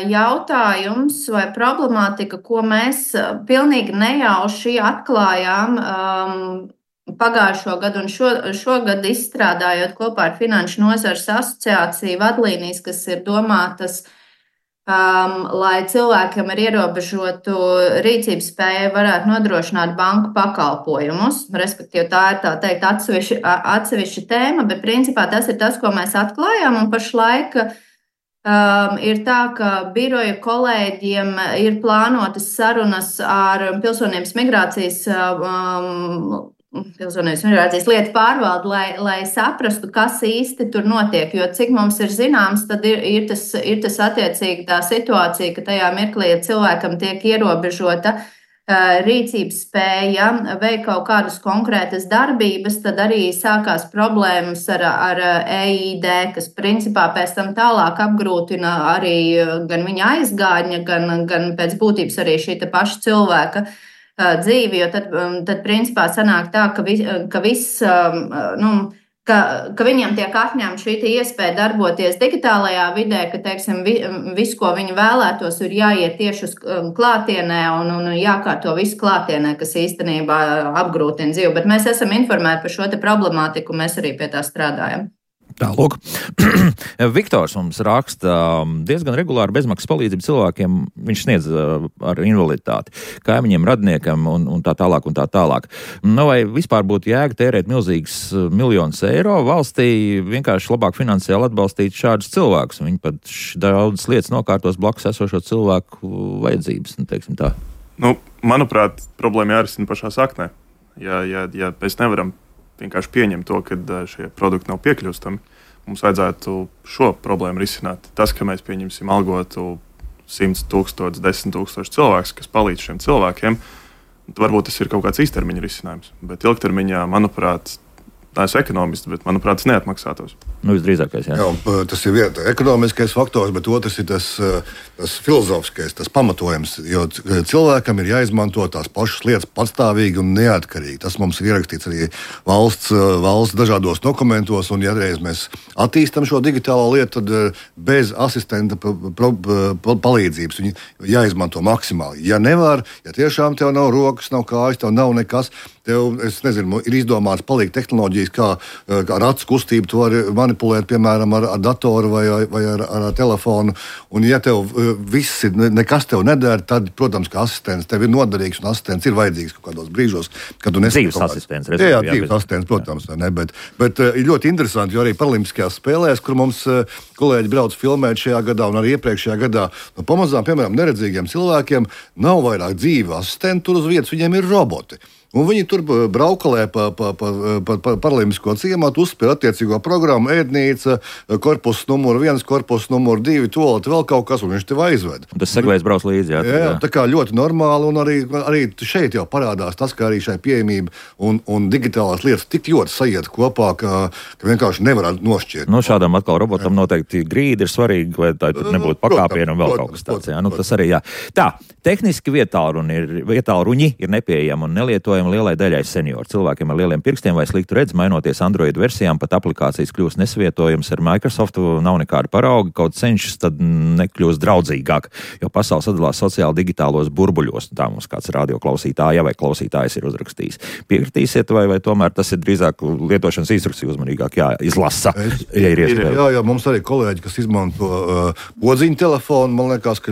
jautājums vai problemātika, ko mēs pilnīgi nejauši atklājām pagājušo gadu un šogad izstrādājot kopā ar Finanšu nozares asociāciju vadlīnijas, kas ir domātas, lai cilvēkiem ar ierobežotu rīcības spēju varētu nodrošināt banku pakalpojumus. Respektīvi, tā ir tā teikt atsevišķa tēma, bet principā tas ir tas, ko mēs atklājām. Un pašlaik ir tā, ka biroja kolēģiem ir plānotas sarunas ar Pilsonības migrācijas lietu pārvaldi, lai saprastu, kas īsti tur notiek. Jo cik mums ir zināms, tad ir tas attiecīgi tā situācija, ka tajā mirklī, ja cilvēkam tiek ierobežota rīcības spēja veikt kaut kādas konkrētas darbības, tad arī sākās problēmas ar EID, kas principā pēc tam tālāk apgrūtina arī gan viņa aizgādņa, gan pēc būtības arī šī paša cilvēka dzīvi, jo tad principā sanāk tā, ka viņiem tiek atņemta šī iespēja darboties digitālajā vidē, ka, teiksim, visu, ko viņi vēlētos, ir jāiet tieši uz klātienē un jākārto visu klātienē, kas īstenībā apgrūtina dzīvi. Bet mēs esam informēti par šo problemātiku, mēs arī pie tā strādājam.
Tālāk. Viktors mums raksta diezgan regulāri bezmaksas palīdzību cilvēkiem. Viņš sniedz ar invaliditāti, kaimiņiem, radiniekam un tā tālāk un tā tālāk. Nu, vai vispār būtu jēga tērēt milzīgas miljonus eiro valstī, vienkārši labāk finansiāli atbalstīt šādus cilvēkus? Viņi pat daudzas lietas nokārtos blakus esošo cilvēku vajadzības, teiksim tā.
Manuprāt, problēma jārisina pašā saknē. Ja mēs nevaram vienkārši pieņemt to, ka šie produkti nav piekļūstami, mums vajadzētu šo problēmu risināt. Tas, ka mēs pieņemsim algotu 100 000, 10 000 cilvēkus, kas palīdz šiem cilvēkiem, varbūt tas ir kaut kāds īstermiņa risinājums. Bet ilgtermiņā, manuprāt, tā ir ekonomisti, bet, manuprāt, tas neatmaksātos.
Visdrīzākais, jā.
Jā, tas ir viens ekonomiskais faktors, bet otrs ir tas filozofiskais, tas pamatojums, jo cilvēkam ir jāizmanto tās pašas lietas patstāvīgi un neatkarīgi. Tas mums ir ierakstīts arī valsts dažādos dokumentos, un ja reiz mēs attīstam šo digitālo lietu, tad bez asistenta palīdzības viņi jāizmanto maksimāli. Ja nevar, ja tiešām tev nav rokas, nav kājas, tev nav nekas, tev, es nezinu, ir izdomāts palīgt tehnoloģijas, kā ar acu kustību to var manipulēt, piemēram, ar datoru vai ar telefonu. Un ja tev viss ir, nekas tev nedara, tad, protams, ka asistents tev ir noderīgs un asistents ir vajadzīgs kaut kādos brīžos, kad tu nesaki
dzīves asistents.
Jā, dzīves asistents, protams, vai ne, bet ir ļoti interesanti, jo arī paralimpiskajās spēlēs, kur mums kolēģi brauc filmēt šajā gadā un arī iepriekšējā gadā, pamazām, piemēram, neredzīgiem cilvēkiem nav vairāk dzīvi asistenti tur uz vietas, viņiem ir roboti. Un viņi tur braukalē pa paralimpisko ciematu, uzspēr attiecīgo programmu, ēdnīca, korpus numur 1, korpus numur 2, toalete, vēl kaut kas, un viņš tev aizved.
Un tas seglējs brauc līdzi, jā.
Jā, tā kā ļoti normāli, un arī šeit jau parādās tas, ka arī šai pieejamība un digitālās lietas tik ļoti sajiet kopā, ka vienkārši nevar nošķirt.
Šādam atkal robotam noteikti grīdi ir svarīgi, lai tā tur nebūtu pakāpiena un vēl kaut kas tāds. Jā, tas arī jā. Tā, tehniski vietālruņi ir nepieejami un nelietojami. piemēram, lielai daļai senioru cilvēkiem ar lieliem pirkstiem vai sliktu redzi, mainoties Android versijām, pat aplikācijas kļūst nesavietojams ar Microsoft, nav nekāda parauga, kaut cenšas tad nekļūst draudzīgāk, jo pasaule sadalās sociāli digitālos burbuļos. Tā mums kāds radioklausītāja vai klausītājs ir uzrakstījis. Piekritīsiet, vai tomēr tas ir drīzāk lietošanas instrukciju uzmanīgāk jāizlasa, ja ir iespēja?
Jā, mums arī kolēģi, kas izmanto podziņu telefonu, man liekas,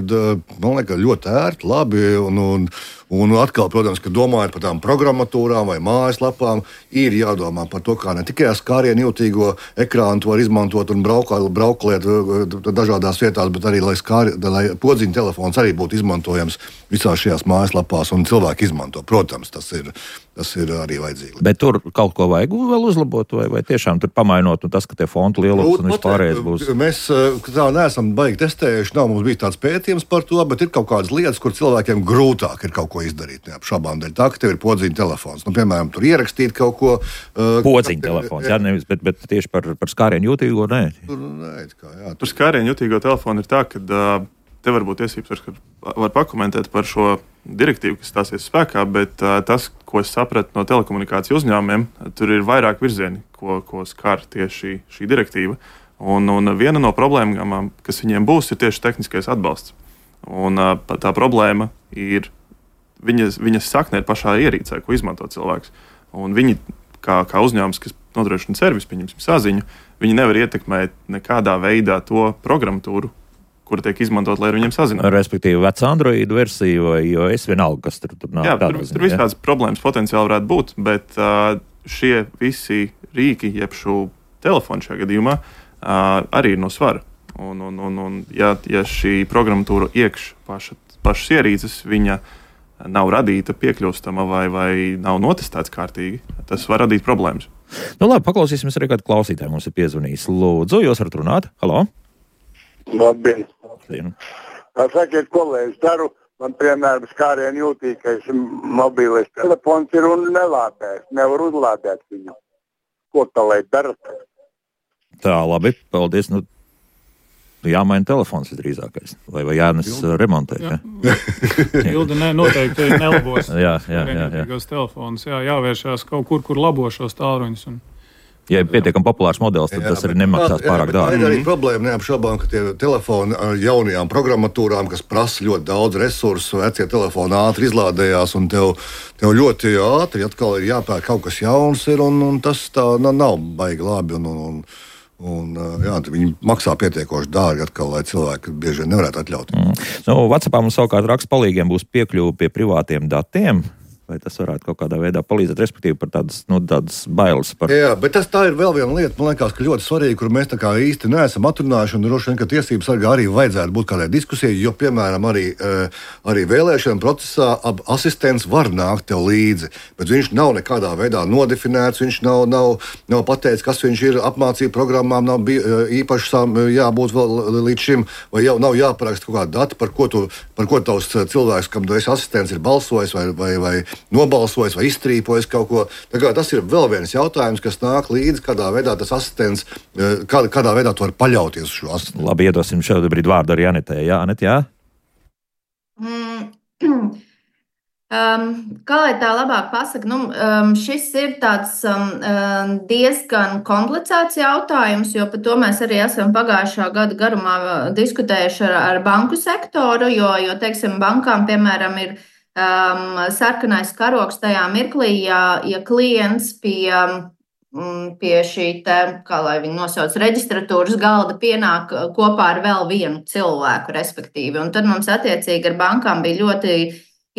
ļoti ērti, labi, un atkal, protams, ka domājot par tām programmatūrām vai mājaslapām, ir jādomā par to, kā ne tikai ar skārienu jūtīgo ekrānu to var izmantot un brauklēt dažādās vietās, bet arī, lai podziņu telefons arī būtu izmantojams visās šajās mājaslapās un cilvēki izmanto. Protams, tas ir arī vajadzīgi.
Bet tur kaut ko vajag vēl uzlabot, vai tiešām tur pamainot, un tas, ka tie fontu lielums un vispārējais būs?
Mēs tā neesam baigi testējuši, nav mums bijis tāds pētījums par to, bet ir kaut kādas lietas, kur cilvēkiem grūtāk ir kaut ko izdarīt, neapšaubām dēļ tā, ka tev ir podziņu telefons. Piemēram, tur ierakstīt kaut ko.
Podziņu telefons, jā, nevis, bet tieši par skārienu jūtīgo, nē.
Par skārienu jūtīgo telefonu ir tā, ka te var būt tiesības, ka var pakomentēt par šo direktīvu, kas stāsies spēkā, bet tas, ko es sapratu no telekomunikāciju uzņēmumiem, tur ir vairāk virzieni, ko skar tieši šī direktīva. Un viena no problēmām, kas viņiem būs, ir tieši tehniskais atbalsts. Un tā problēma ir viņas sakne ir pašā ierīcē, ko izmanto cilvēks. Un viņi, kā uzņēmums, kas nodrošina servisu, pieņemsim saziņu, viņi nevar ietekmēt nekādā veidā to programmatūru, kura tiek izmantot, lai ar viņiem sazinātu.
Respektīvi, vecā Android versija vai iOS vienalga, kas tur nav.
Jā, tur visādas problēmas potenciāli varētu būt, bet šie visi rīki, jeb šo telefonu šajā gadījumā, arī ir no svara. Un ja šī programmatūra iekš pašas ierīces, viņa nav radīta piekļūstama vai nav notestēts kārtīgi, tas var radīt problēmas.
Nu labi, paklausīsimies arī kādu klausītāju. Mums ir piezvanījis. Lūdzu, jūs varat runāt? Halo?
Labdien.
Labdien.
Sakiet, kolēģis, daru, man piemēram skārienu jūtīgais mobilais telefons ir un nelādēs, nevar uzlādēt viņu. Ko tā lai dara?
Tā, labi, paldies. Jāmaina telefons visdrīzākais. Vai jānes remontēt?
Ildi noteikti nelabos.
Jā.
Telefons, jāvēršās kaut kur labo šos tālruņus.
Ja ir pietiekami populārs modelis, tad tas arī nemaksās pārāk dārgi.
Ir arī problēma neapšaubām, ka tie telefoni ar jaunajām programmatūrām, kas prasa ļoti daudz resursu, vecie telefoni ātri izlādējās, un tev ļoti ātri atkal ir jāpērk kaut kas jauns, un tas tā nav baigi labi. Viņi maksā pietiekoši dārgi, atkal, lai cilvēki bieži vien nevarētu atļauties.
WhatsAppā mums savukārt raksts palīgiem būs piekļuve pie privātiem datiem. Vai tas varētu kaut kādā veidā palīdzēt, respektīvi par tādas bailes?
Jā, bet tā ir vēl viena lieta, man liekas, ka ļoti svarīga, kur mēs tā kā īsti neesam atrunājuši, un droši vien, ka tiesības sargā arī vajadzētu būt kādai diskusijai, jo, piemēram, arī vēlēšana procesā asistents var nākt tev līdzi, bet viņš nav nekādā veidā nodefinēts, viņš nav pateicis, kas viņš ir, apmācību programmām nav īpašām jābūt vēl līdz šim, vai jau nav jāparaksta kaut kāda data, par ko tavs cilvēks, kam tu esi asistents, ir balsojis vai nobalsojis vai iztrīpojis kaut ko. Tas ir vēl viens jautājums, kas nāk līdzi, kādā veidā tas asistents, kādā veidā tu vari paļauties uz šo asistentu.
Labi, iedosim šādu brīdi vārdu arī Anetē. Jā, Anet, jā?
Kā lai tā labāk pasaka, šis ir tāds diezgan komplicēts jautājums, jo par to mēs arī esam pagājušā gada garumā diskutējuši ar banku sektoru, jo teiksim, bankām, piemēram, ir sarkanais karoks tajā mirklī, ja klients pie šī te, kā lai viņi nosauc, reģistratūras galda pienāk kopā ar vēl vienu cilvēku, respektīvi. Un tad mums attiecīgi ar bankām bija ļoti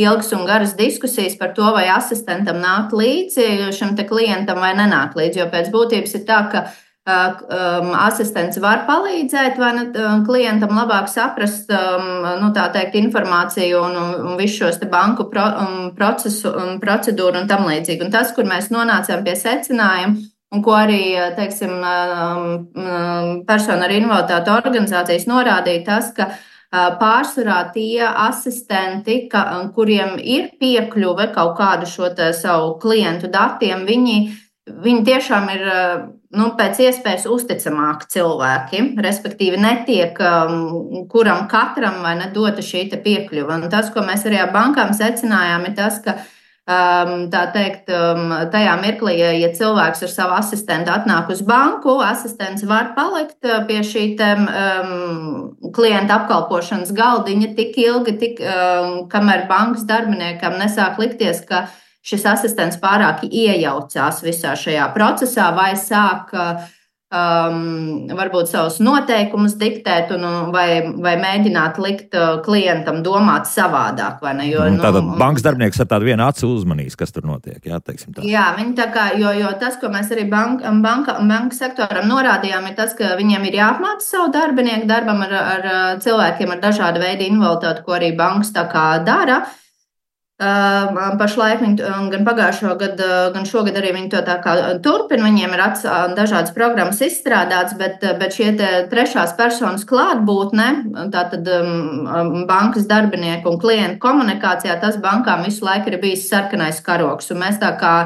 ilgas un garas diskusijas par to, vai asistentam nāk līdzi šim te klientam vai nenāk līdzi, jo pēc būtības ir tā, ka asistents var palīdzēt klientam labāk saprast tā teikt, informāciju un visu šos te banku procesu un procedūru un tam līdzīgi. Un tas, kur mēs nonācām pie secinājuma, un ko arī, teiksim, personu ar invaliditāti organizācijas norādīja, tas, ka pārsvarā tie asistenti, kuriem ir piekļuve kaut kādu šo savu klientu datiem, viņi tiešām ir pēc iespējas uzticamāki cilvēki, respektīvi netiek kuram katram vai nedota šī piekļuva. Un tas, ko mēs arī ar bankām secinājām, ir tas, ka Tā teikt, tajā mirklī, ja cilvēks ar savu asistentu atnāk uz banku, asistents var palikt pie šī klienta apkalpošanas galdiņa tik ilgi, kamēr bankas darbiniekam nesāk likties, ka šis asistents pārāk iejaucās visā šajā procesā vai sāk varbūt savus noteikumus diktēt vai mēģināt likt klientam domāt savādāk. Vai ne?
Tātad bankas darbinieks ar tādu vienu acu uzmanīs, kas tur notiek. Jā, teiksim tā.
Jā, viņi tā kā, jo tas, ko mēs arī banka sektoram norādījām, ir tas, ka viņiem ir jāapmāca savu darbinieku darbam ar cilvēkiem ar dažādu veidu invaliditāti, ko arī bankas tā kā dara. Pašlaik gan pagājušo gadu, gan šogad arī viņi to tā kā turpina. Viņiem ir dažādas programmas izstrādātas, bet šie trešās personas klātbūtne, tātad bankas darbinieku un klientu komunikācijā, tas bankām visu laiku ir bijis sarkanais karogs. Un mēs tā kā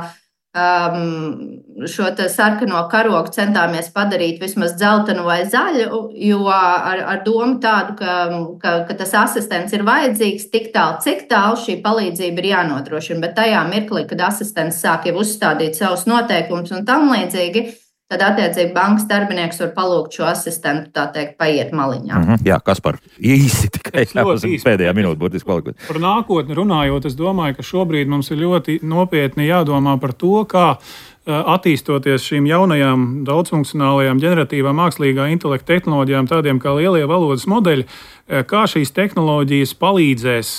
šo sarkano karogu centāmies padarīt vismaz dzeltenu vai zaļu, jo ar domu tādu, ka tas asistents ir vajadzīgs tik tālu, cik tālu šī palīdzība ir jānodrošina. Bet tajā mirklī, kad asistents sāk jau uzstādīt savus noteikumus un tam līdzīgi, tad, attiecīgi, bankas darbinieks var palūgt šo asistentu, tā teikt, paiet maliņā.
Jā, Kaspar, īsi tikai pēdējā minūte būtiski palikot.
Par nākotni runājot, es domāju, ka šobrīd mums ir ļoti nopietni jādomā par to, kā attīstoties šīm jaunajām daudzfunkcionālajām ģeneratīvām mākslīgā intelekta tehnoloģijām, tādiem kā lielie valodas modeļi, kā šīs tehnoloģijas palīdzēs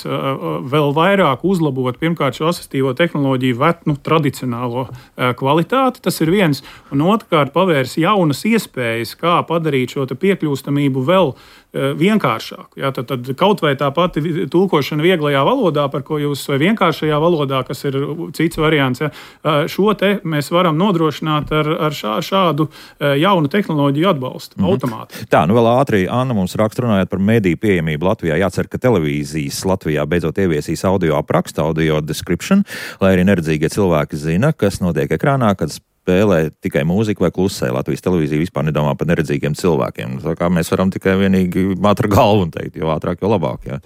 vēl vairāk uzlabot pirmkārt šo asistīvo tehnoloģiju tradicionālo kvalitāti, tas ir viens, un otrkārt pavērs jaunas iespējas, kā padarīt šo piekļūstamību vēl vienkāršāku. Ja, tad kaut vai tā pati tulkošana vieglajā valodā, par ko jūs, vai vienkāršajā valodā, kas ir cits variants, ja, šo te mēs varam nodrošināt ar šādu jaunu tehnoloģiju atbalstu automāti.
Tā, vēl ātri Anna mums raksta runājot par mediju pieejamību Latvijā. Jācer, ka televīzijas Latvijā beidzot ieviesīs audio aprakstu, audio description, lai arī neredzīgie cilvēki zina, kas notiek ekrānā, kad spēlē tikai mūziku vai klusē. Latvijas televīzija vispār nedomā par neredzīgiem cilvēkiem. Tā kā mēs varam tikai vienīgi māt ar galvu un teikt, jo ātrāk, jo labāk.
Jā,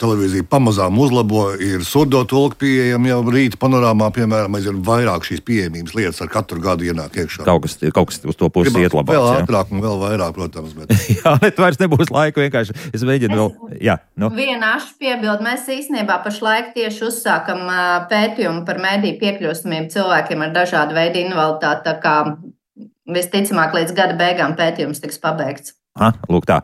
televīzija pamazām uzlabo, ir surdo tulki pieejami jau rīta panorāmā, piemēram, ir vairāk šīs pieejamības lietas ar katru gadu ienāk iekšā.
Kaut kas uz to pusi iet labāk.
Vēl ātrāk un vēl vairāk, protams. Bet...
jā, bet vairs nebūs laika vienkārši. Es mēģinu vēl... Jā,
Viena ašu piebildu. Mēs īstenībā pašlaik tieši uzsākam pētījumu par mediju piekļūstamību cilvēkiem ar dažādu veidu invaliditāti. Tā kā visticamāk līdz gada beigām pētījums tiks pabeigts.
Lūk tā.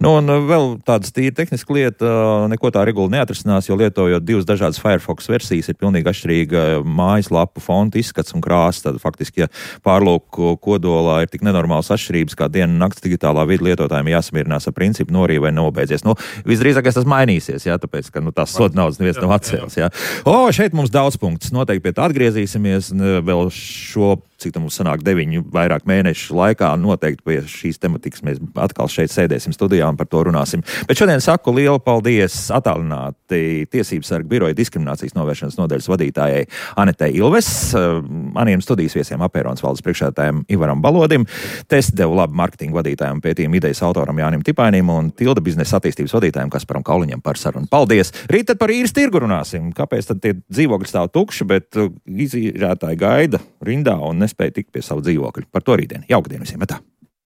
Un vēl tādas tīri tehniska lieta, neko tā regula neatrisinās, jo lietojot divas dažādas Firefox versijas, ir pilnīgi atšķirīga mājaslapu fonta izskats un krāsa. Tad faktiski, ja pārlūku kodolā ir tik nenormāls atšķirības, kā diena un nakts digitālā vidi lietotājiem jāsamierinās ar principu norīja vai nobeidzies. Visdrīzākais tas mainīsies, jā, tāpēc, ka tās soda naudas neviens nav atcēlis. Jā. Šeit mums daudz punktus. Noteikti pie tā atgriezīsimies vēl šo, cik tam mums sanāk 9 vairāk mēnešu laikā. Noteikti pie šīs tematikas mēs atkal šeit sēdēsim studijā un par to runāsim. Bet šodien saku lielu paldies attālināti Tiesības sarga biroja diskriminācijas novēršanas nodaļas vadītājai Anetei Ilves, maniem studijas viesiem Apēronas valdes priekšsēdētājiem Ivaram Balodim, Test devu labu marketingu vadītājiem pētījuma idejas autoram Jānim Tipainim un Tilda biznesa attīstības vadītājiem Kasparam Kauliņam par sarunu. Paldies! Rīt tad par īres tirgu runāsim. Kāpēc tad tie dzīvokļi stāv tukši, bet izīrētāji gaida rindā un nespēja tikt pie savu dzīvokļu? Par to rītdien. Jauka diena visiem! Metā!